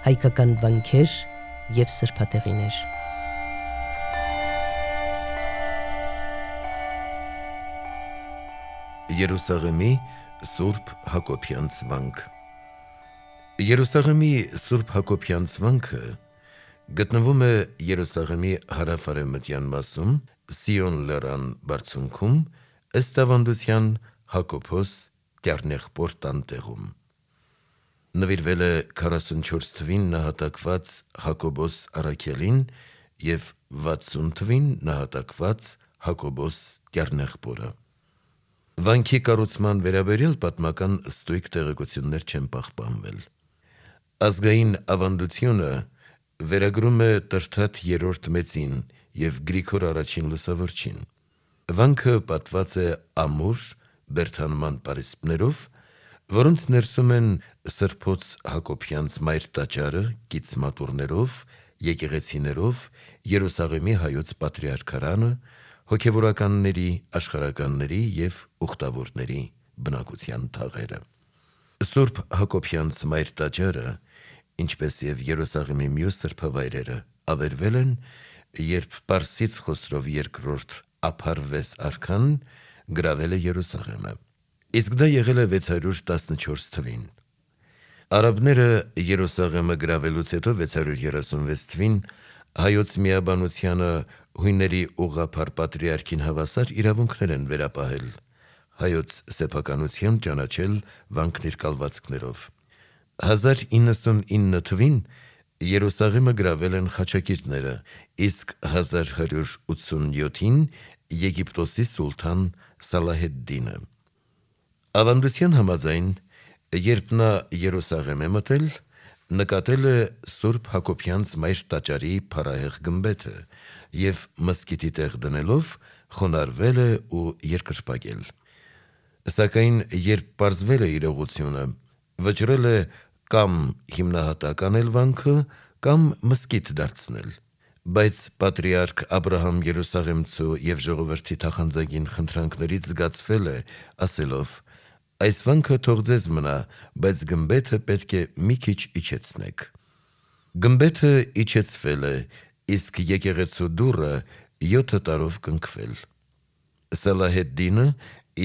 հայկական վանքեր և սրբատեղիներ։ Երուսաղեմի Սուրբ Հակոբյանց վանք։ Երուսաղեմի Սուրբ Հակոբյանց վանքը գտնվում է Երուսաղեմի հարավ-արևմտյան մասում, Սիոն լեռան բարձունքում, ըստ ավանդության Հակոբոս Տյառնեղբոր տանտեղում։ Նվիրվել է 44 թվին նահատակված Հակոբոս Առաքելին և 60 թվին նահատակված Հակոբոս Տյառնեղբորը։ Վանքի կառուցման վերաբերյալ պատմական ստույգ տեղեկություններ չեն պահպանվել։ Ազգային ավանդությունը վերագրում է Տրթատ III Մեծին և Գրիգոր I Լուսավորչին։ Վանքը պատված է ամուր բերդանման պարիսպներով, որոնց ներսում են Սրբոց Հակոբյանց մայր տաճարը կից մատուռներով, եկեղեցիներով, Երուսաղեմի հայոց պատրիարքարանը, հոգևորականների, աշխարհականների և ուխտավորների բնակության թաղերը։ Սուրբ Հակոբյանց մայր տաճարը, ինչպես և Երուսաղեմի մյուս սրբավայրերը, ավերվել են, երբ Պարսից Խոսրով II Ափարվես արքան գրավել է Երուսաղեմը, իսկ դա եղել է 614 թվին։ Արաբները Երուսաղեմը գրավելուց հետո 636 թվին հայոց միաբանությանը հույների ուղղափառ պատրիարքին հավասար իրավունքներ են վերապահել, հայոց սեփականությամբ ճանաչել վանքն իր կալվածքներով։ 1099 թվին Երուսաղեմը գրավել են խաչակիրները, իսկ 1187-ին Եգիպտոսի սուլթան Սալահեդդինը։ Ավանդության համաձայն, երբ նա Երուսաղեմ է մտել, նկատել է Սուրբ Հակոբյանց մայր տաճարի փառահեղ գմբեթը և մզկիթի տեղ դնելով խոնարհվել է ու երկրպագել։ Սակայն երբ պարզվել է իրողությունը, վճռել է կամ հիմնահատակ անել վանքը, կամ մզկիթ դարձնել։ Բայց պատրիարք Աբրահամ Երուսաղեմցու և ժողովրդի թախանձագին խնդրանքներից զգացվել է, ասելով. «Այս վանքը թող ձեզ մնա, բայց գմբեթը պետք է մի քիչ իջեցնեք»։ Գմբեթը իջեցվել է, իսկ եկեղեցու դուռը 7 տարով կնքվել։ Սալահեդդինը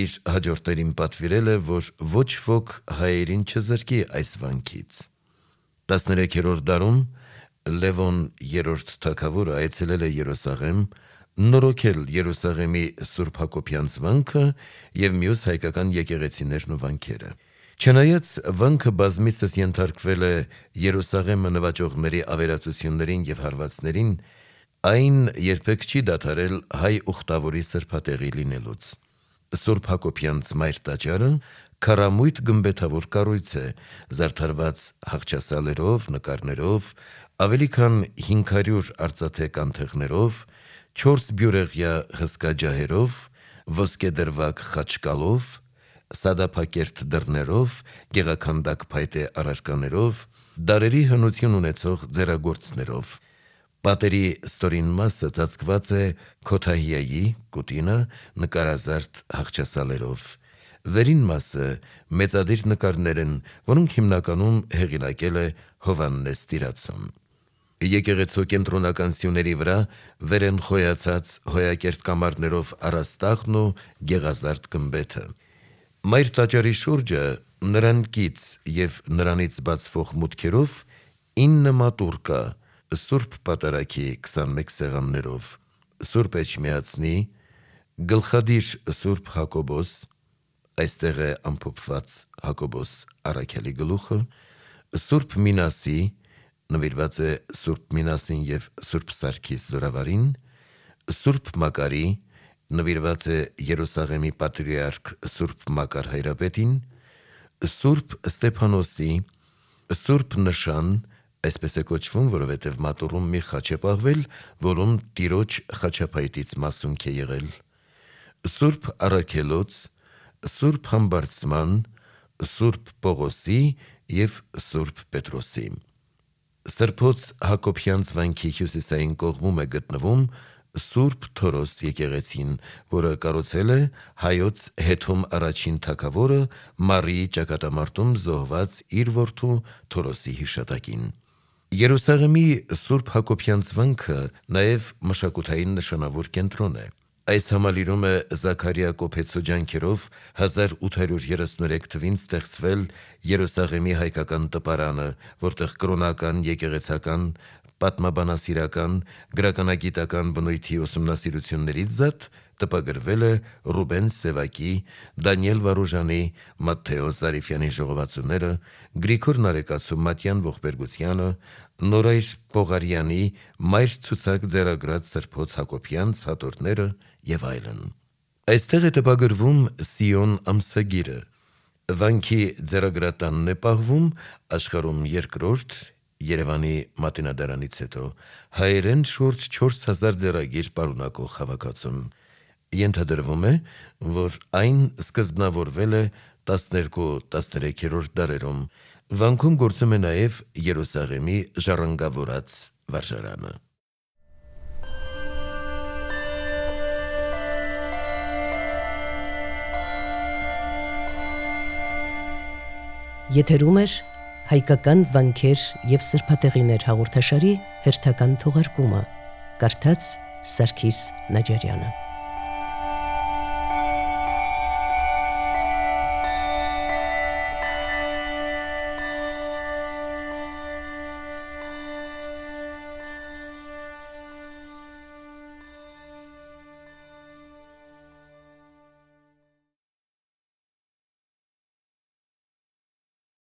իր հաջորդներին պատվիրել է, որ ոչ ոք հայերին չզրկի այս վանքից։ 13-րդ դարում Լևոն III թագավորը այցելել է Երուսաղեմ, նորոգել Երուսաղեմի Սուրբ Հակոբյանց վանքը և մյուս հայկական եկեղեցիներն ու վանքերը։ Չնայած վանքը բազմիցս ենթարկվել է Երուսաղեմը նվաճողների ավերածություններին և հարվածներին, այն երբեք չի դադարել հայ ուխտավորի սրբատեղի լինելուց։ Սուրբ Հակոբյանց մայր տաճարը քառամույթ գմբեթավոր կառույց է, զարդարված հախճասալերով, նկարներով, ավելի քան 500 արծաթե կանթեղներով, 4 բյուրեղյա հսկա ջահերով, ոսկեդրվագ խաչկալով, սադափակերտ դռներով, գեղաքանդակ փայտե առարկաներով, դարերի հնություն ունեցող ձեռագործներով։ Պատերի ստորին մասը ծածկված է Քոթահիայի նկարազարդ հախճասալերով։ Վերին մասը մեծադիր նկարներ են, որոնք հիմնականում հեղինակել է Հովհաննես Տիրացուն։ Եկեղեցու կենտրոնական սյուների վրա վեր են խոյացած հոյակերտ կամարներով առաստաղն ու գեղազարդ գմբեթը։ Մայր տաճարի շուրջը նրան կից և նրանից բացվող մուտքերով 9 մատուռ կա Սուրբ Պատարագի 21 սեղաններով, Սուրբ Էջմիածնի, գլխադիր Սուրբ Հակոբոս, այստեղ է ամփոփված Հակոբոս Առաքելի գլուխը, Սուրբ Մինասի, նվիրված է Սուրբ Մինասին և Սուրբ Սարգիս Զորավարին, Սուրբ Մակարի, նվիրված է Երուսաղեմի պատրիարք Սուրբ Մակար Հայրապետին, Սուրբ Ստեփանոսի, Սուրբ Նշան, այսպես է կոչվում, որովհետև մատուռում մի խաչ է պահվել, որում Տիրոջ խաչափայտից մասունք է եղել, Սուրբ Առաքելոց, Սուրբ Համբարձման, Սուրբ Պողոսի և Սուրբ Պետրոսի։ Սրբոց Հակոբյանց վանքի հյուսիսային կողմում է գտնվում Սուրբ Թորոս եկեղեցին, որը կառուցել է հայոց Հեթոմ առաջին թագավորը Մարիի ճակատամարտում զոհված իր որդու Թորոսի հիշատակին։ Երուսաղեմի Սուրբ Հակոբյան ծվանքը նաև մշակութային նշանավոր կենտրոն է։ Այս համալիրում է Զաքարիա Կոփեցու ջանքերով 1833 թվին ստեղծվել Երուսաղեմի հայկական տպարանը, որտեղ կրոնական, եկեղեցական, պատմաբանասիրական, գրականագիտական բնույթի ուսումնասիրություններից զատ տպագրվել է Ռուբեն Սևակի, Դանիել Վարուժանի, Մատթեո Զարիֆյանի ժողովածուները, Գրիգոր Նարեկացու Մատյան Ողբերգությանը, Նորայր Պողարյանի Մայր ցուցակ ձեռագրած Սրբոց Հակոբյան ցատորները եւ այլն։ Այստեղ է տպագրվում Սիոն ամսագիրը։ Վանքի ձեռագրատանն է պահվում աշխարհում երկրորդ Երևանի Մատենադարանից հետո հայերեն շուրջ 4000 ձեռագիր պարունակող հավաքածուն։ Ենթադրվում է, որ այն սկզբնավորվել է 12-13-րդ դարերում։ Վանքում գործում է նաև Երուսաղեմի ժառանգավորած վարժարանը։ Եթերում էր հայկական վանքեր և սրբատեղիներ հաղորդաշարի հերթական թողարկումը, կարդաց Սարգիս Նաջարյանը։